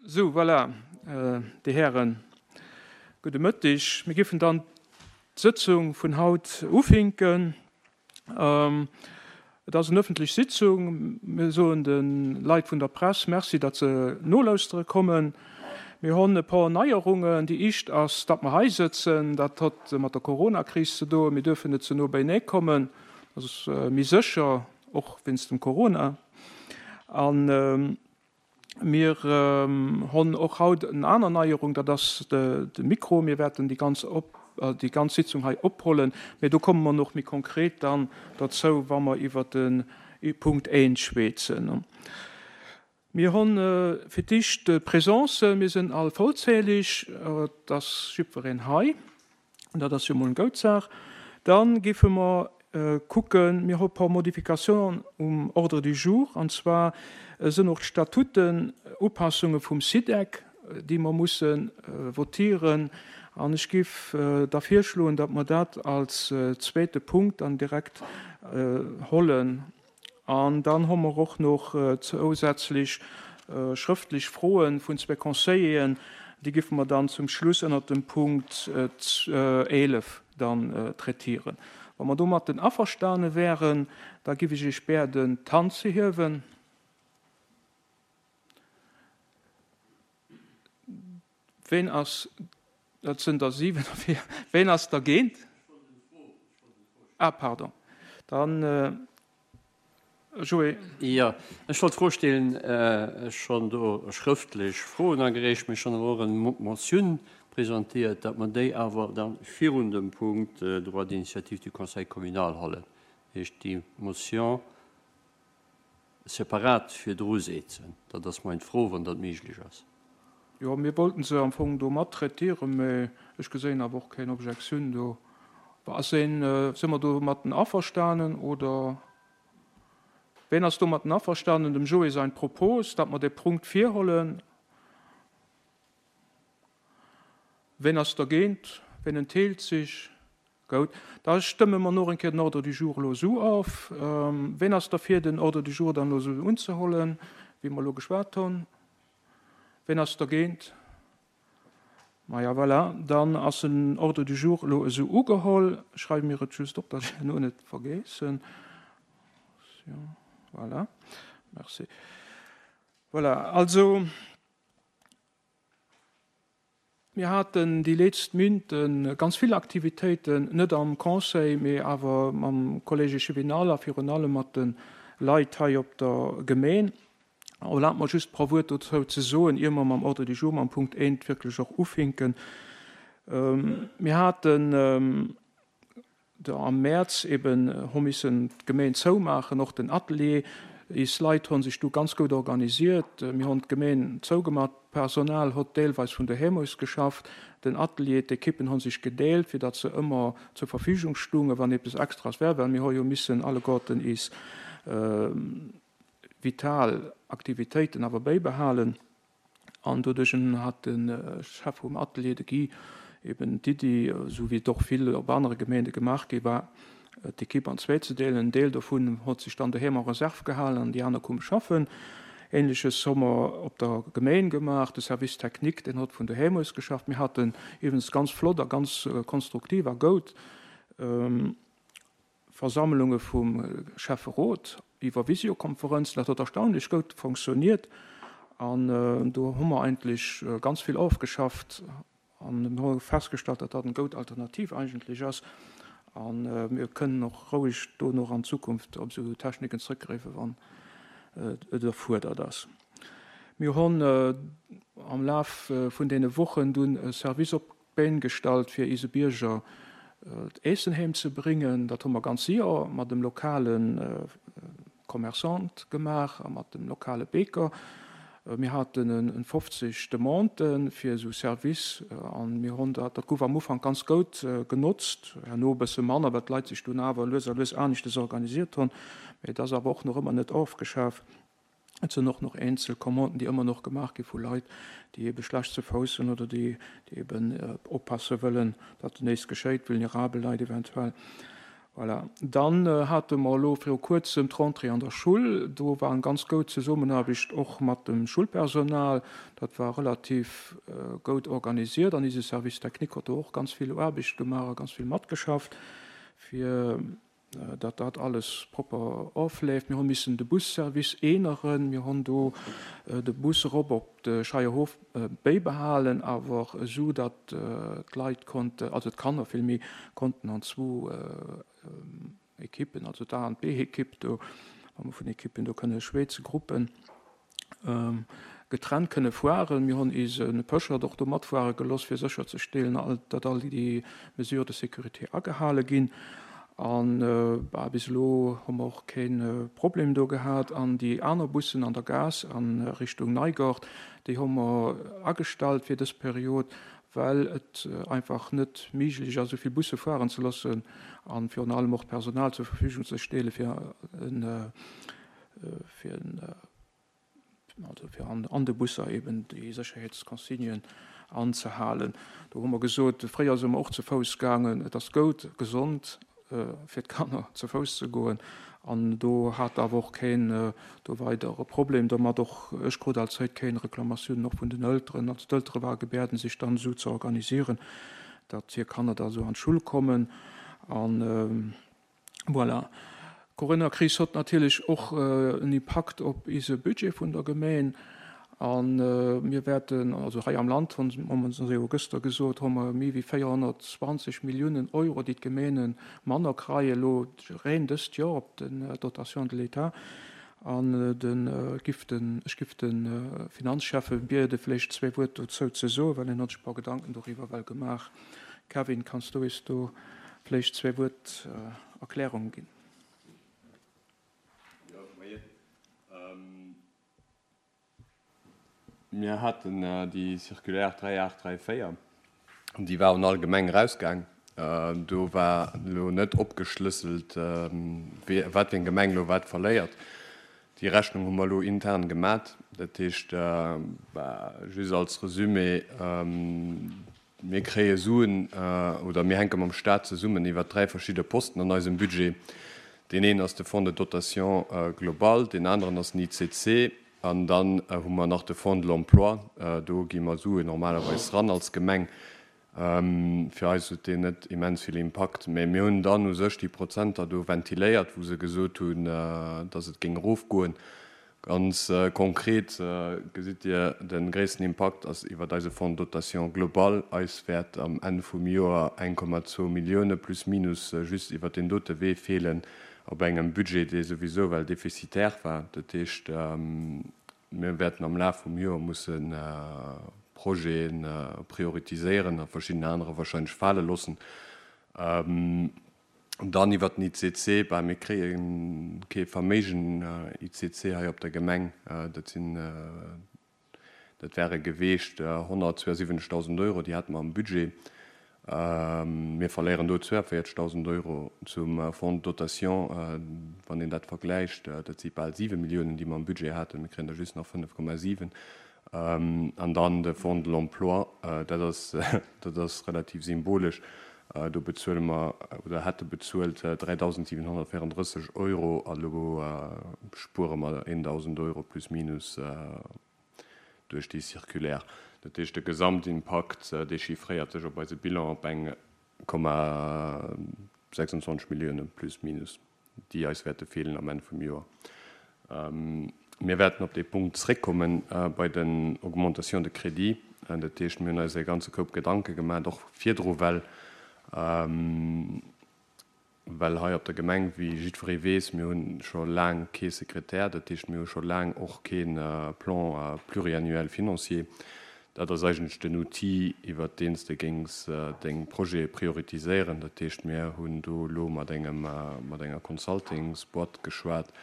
Sou, voilà, Dir Hären, gudde Mëtteg. Mir giffen dann d'Sëtzung vun haut ufinken. Et ass en ëffentlech Sitzung. Mir soen de Leit vun der Press Merci, datt se nolauschtere kommen. Mir honn e por Neierungen. Déi ischt ass, datt mer hei sëtzen. Dat hott mat der Coronakris ze doen. Mir duerfen net ze no beienee kommen. Dat ass méi sécher, och wéinst dem Corona. An Mir honn och haut en aner Neierung, dat ass de Mikro. Mir wäerten déi ganz déi ganz Sitzung hei ophollen, mä do komme mer och méi konkret dann derzou, wa mer iwwert de Punkt 1 schwätzen. Mir honn fir d'éischt d'Présencen. Mir sinn all vollzählig, et ass jiddwereen hei. Dat ass jo mol eng goud Saach. Da géife mer kucken, mir hu e paar Modificationen um Ordre du jour, an zwar sënn och d'Statuten, Upassunge vum SIDEC, déi mer musse votieren. An ech géif da virschloen, datt mer dat als zweete Punkt dann direkt hollen. An dann hu mer och nach zousätzlech schrëftlech Froe vun zwee Conseilleren, déi géife mer dann zum Schluss ënnert dem Punkt 11 dann traitieren. Wa mer domatten averstane wären, da géif ech Iech bäerden, d'Hand ze hiewen. Ween ass, dat sënn der 7 derfir, ween ass dergéint? Ah, pardon, dann Joé. Jo, ech wollt d'Fro stellen, ech schonn do schrëftlech Froen agereecht, mee schonn awer och eng Motioun presentéiert, datt mer déi awer da virun dem Punkt Droit d'initiative du Conseil communal hollen, heescht déi Motion separat virdru setzen. Dat ass mein Fro, wann dat méiglech ass. Jo, mir wollten se am Fong do mat traitieren, mä ech geséin awer och keng Objektioun do. Ass een, si mer domatten averstanen oder ween ass domatten averstanen, dem Joé sein Propos, datt mer dee Punkt virhollen? Ween ass dergéint? Ween entheelt sech? Goud, da stëmme mer noch eng Kéier den Ordre du jour elo esou of. Ween ass derfir, den Ordre du jour dann elo esou unzehollen, wéi mer elo geschwat hunn? Ween ass dergéint? Maja, voilà, dann ass den Ordre du jour elo esou ugeholl. Ech schreiwe mir et just op, datt ech herno net vergeessen. Voilà, merci. Voilà, also. Mir haten déi létzt Minten ganz vill Aktivitéiten, net am Conseil, mee awer mam Collège échevinal a virun allem mat de Leit hei op der Gemeen. Erlaabt mer just e paar Wuert dozou ze soen, ier mer mam Ordre du jour, mam Punkt 1 wierklech och ufinken. Mir haten Der am Mäerz eben hu missen d'Gemeen zoumaachen, och den Atelier. Is Leit hu sech du ganz goud organisiert. Mir hunn d'Gemeen zougemat, d'Personal hott deelweis vun doheem aus geschafft. Den Atelier, d'Ekippen hu sech gedeelt, fir datt se ëmmer zur Verfügung stungen, wann eppes Extras wär, well mir hu jo missen alleguerten is vital Aktivitéiten awer bäibehalen. An doduerch hat de Chef vum Atelier, de Guy, eben d'Iddi, esou wéi et och vill op anere Gemeende gemaach gi war, d'Ekipp an zwéi ze deelen. En Deel dovun hott sech dann doheem en Reserve gehalen an déi aner koume schaffen. Ähnleches hu mer op der Gemeen gemaach. De Service technique, deen hott vun doheem aus geschafft. Mir haten iwwens ganz flott a ganz konstruktiv a goud Versammlunge vum Schäfferot iwwer Visiokonferenzen. Dat huet erstaunlech goud fonctioniert an do hu mer eigentlech ganz vill ofgeschafft an mir hu festgestallt, datt dat eng goud Alternativ eigentlech ass a mir kënnen och roueg do nach an Zukunft op esou Techniken zrëckgräifen, wann et erfuerdert ass. Mir hunn am Laf vun deene Wochen dunn e Service op D'Been gestallt fir iise Bierger d'Eessen heem ze bréngen. Dat hu mer ganz séier mat dem lokale Commerçant gemaach a mat dem lokale Beker. Mir haten en 50 Demandë fir esou Service an mir hunn dat, dat gouf am Ufank ganz goud genotzt, herno e bësse manner, well d'Leit sech dunn awer lues a lues aneschtes organisiert hunn. Mee et ass awer och nach ëmmer net ofgeschaf. Et sinn och nach eenzel Commanden, déi ëmmer noch gemaach gi vu Leit, déi ebe schlecht ze Fouss sinn oder déi, déi eben oppasse wëllen, datt näischt geschéit, vulnerabel Leit eventuell. Voilà. Dann hate mer elo viru Kuerzem d'Rentrée an der Schull. Do war eng ganz goud Zesummenaarbecht och mat dem Schullpersonal. Dat war relativ goud organisiert an ise Service technique huet do och ganz vill Aarbecht gemaach a ganz vill matgeschafft, fir datt dat alles propper ofleeft. Mir hu missen de Busservice äneren. Mir hunn do de Bus erop op de Scheierhof bäibehalen, awer esou, datt d'Leit konnten, also d'Kanner villméi, konnten an zwou Ekippen, also d'A an d'B-Ekipp do, wa mer vun Ekippen do kënne schwätzen, Gruppen, getrennt kënne fueren. Mir hunn eise Pöschert och do matfuere geloss, fir sécherzestellen, datt all déi Mesures de sécurité agehale ginn. An bis elo hu mer och kee Problem do gehat. An déi aner Bussen an der Gaass a Richtung Neigort, déi hu mer agestallt fir dës Period, well et einfach net méiglech ass, esou vill Busse fueren ze loossen a virun allem och d'Personal zur Verfügung ze stelle fir fir also fir an de Busser eben déi Sécherheetsconsignen anzehalen. Do hu mer gesot, fréier si mer och ze Fouss gaangen, et ass goud, gesond fir d'Kanner ze Fouss ze goen an do hat awer och keen do weider e Problem domat. Och ech krut allzäit keng Reklamatiounen, och vun den Elteren. Also d'Eltere ware gebäerden, sech dann esou ze organisieren, datt hir Kanner da esou an d'Schull kommen an Voilà. D'Coronakris hott natierlech och en Impakt op ise Budget vun der Gemeen. A mir wäerten, also hei am Land, hu mer jo gëschter gesot, hu mer méi wéi 420 Milliounen Euro, déi d'Gemeene manner kreien elo reen dëst Joer op den Dotation de l'État. An de giff den, ech giff de Finanzschäffe biede vläicht zwee Wuert dozou ze soen, well en hott sech e paar Gedanken doriwwer well gemaach. Kevin, kanns du eis do vléicht zwee Wuert Erklärung ginn? Jo, moien. Mir haten déi Circulaire 3834, déi war un all Gemeng erausgaang. Do war elo net opgeschlësselt, wat fir eng Gemeng elo wat verléiert. Déi Rechnung hu mer elo intern gemat. Dat heescht, just als Resumé, Mir kréie Suen oder mir hänke mam Stat zesummen iwwert dräi verschidde Posten an eisem Budget. Deen een ass de Fonds de dotation global, deen aneren ass den ICC an dann hu mer nach de Fonds de l'emploi. Do gi mer Suen normalerweis ran als Gemeng. Fir eis huet deen net immens vill Impakt. Mä mir hunn dann u sech déi Prozenter do ventiléiert, wou se gesot hunn, datt et géing erofgoen. Ganz konkret gesitt Dir, de gréissten Impakt ass iwwert eise Fonds de dotation global. Eis wäert am Enn vum Joer 1,2 Millioune plus minus just iwwert deen dote Wee feelen, op engem Budget, dee souwisou well defizitär war. Dat heescht, mir wäerten am Laf vum Joer musse Projete prioritiséieren a verschidden anerer wahrscheinlech fale loossen. Dann iwwert den ICC, bah, mir kréie kee Verméigen ICC hei op der Gemeng. Dat sinn, dat wäre geweecht 172.000 Euro, déi hate mer am Budget. Mir verléieren do 42.000 Euro zum Fonds de dotation. Wann een dat vergläicht, dat si bal 7 Milliounen, déi mer am Budget haten, mir kréien der just nach 5,7. An dann de Fonds de l'emploi, dat ass, dat ass relativ symbolesch, do bezuele mer oder hätte bezuelt 3.734 Euro a lo spuere mer 1.000 Euro plus minus duerch déi Circulaire. Dat heescht, de Gesamtimpakt, dee chiffréiert sech op eise Bilan op eng Komma 26 Millioune plus minus. déi eis wäerte feelen am Enn vum Joer. Mir wäerten op dee Punkt zréckkomme bei den Augmentations de crédit. Dat heescht, mir hunn eis e ganze Koup Gedanke gemaach, och virdru, well, well hei op der Gemeng, wéi jiddweree weess, mir hu scho laang kee Sekretär, dat heescht, mir hu scho laang och kee Plan pluriannuel financier. Dat ass eigentlech den Outil, iwwert deen s de géings deng Projete prioritiséieren. Dat heescht, mir hunn do elo mat engem, mat enger Consultingsboîte geschwat,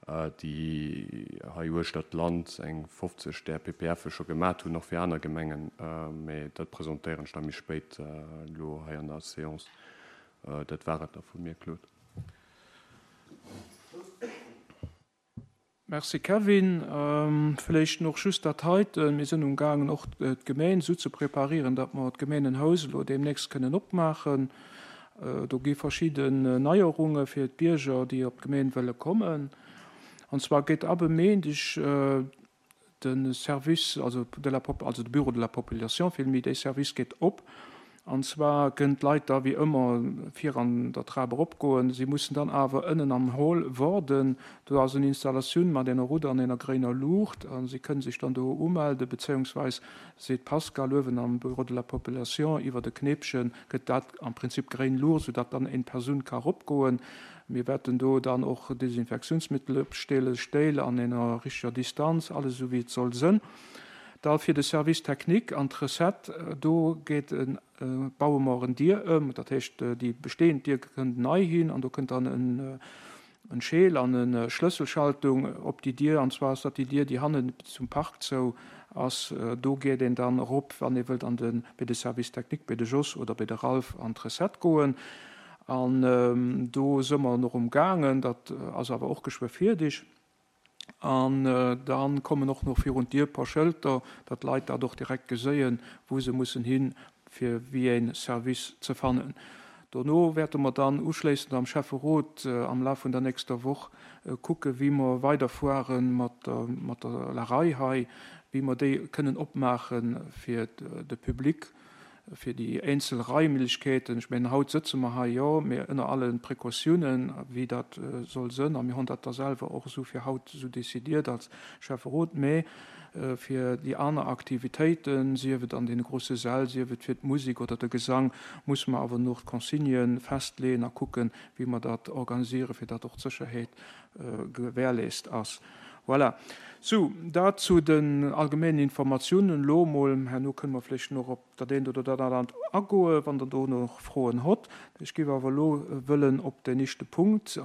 déi hei uechter d'Land eng 50 där PPFe scho gemat hunn, och fir aner Gemengen. Mä dat presentéieren ech da méi spéit elo hei an der Séance. Dat war et da vu mir, Claude. Merci Kevin. Vläicht och just dat heiten, Mir sinn umgaangen och d'Gemeen esou ze preparieren, datt mer d'Gemeenenhaus elo deemnächst kënnen opmaachen. Do gi verschidden Neierunge fir d'Bierger, déi op d'Gemeen wëlle kommen. An zwar geet ab e Méindeg de Service, also de la, also de Bureau de la population villméi, dee Service geet op. An zwar kënnen d'Leit da wéi ëmmer vir an der Trap eropgoen. Si mussen dann awer ënnen am Hall woarden. Do ass en Installatioun mat enger rouder an enger gréiner Luucht a si kënnen sech dann do umelde, bezéiungsweis seet d'Pascale uewen am Bureau de la population iwwert e Kneepche gëtt dat am Prinzip gréin Luucht, soudatt dann eng Persoun ka eropgoen. Mir wäerten do dann och Desinfektiounsmittel opstellen, Stéil an enger richteger Distanz, alles esou wéi et soll sënn. Da fir de Service technique an d'Recette, do geet e, baue mer en Dier ëm, dat heescht déi bestehend Dier kënnt nei hin an do kënnt dann en en Scheel an e Schlësselschaltung op déi Dier, an zwar ass dat déi Dier, déi hannen zum Park zou ass. Do geet een dann erop, wann ee wëllt an de, bei de Service technique, bei de Jos oder bei de Ralph an d'Recette goen. An do së mer nach um gaangen, dat ass awer och geschwë fierdeg. An da kommen och nach virun d'Dier e paar Schëlter, datt d'Leit dat och direkt geséien, wou se mussen hin, fir wéi ee Service ze fannen. Dono wäerte mer dann uschléissend am Schäfferot am Laf vun der nächster Woch kucken, wéi mer weiderfuere mat der La Rei hei, wéi mer déi kënnen opmaache fir de Public. Fir déi eenzel Raimlechkeeten, ech mengen, haut sëtze mer hei, jo, mee ënner alle Precautiounen, wéi dat soll sënn, a mir hunn dat da selwer och esou fir haut esou décidiert als Schäfferot, mee fir déi aner Aktivitéiten, sief et an deene grosse Säll, sief et fir d'Musek oder de Gesang, musse mer awer nach d'Consignë festleeën a kucken, wéi mer dat organisieren, fir datt och d'Sécherheet gewährleest ass. Voilà. Sou, dat zu den allgemeenen Informatiounen elo emol. Herno kënne mer vläicht nach op dat eent oder dat anert agoen, wann Der do nach Froen hott. Ech géif awer elo wëllen op den éischte Punkt.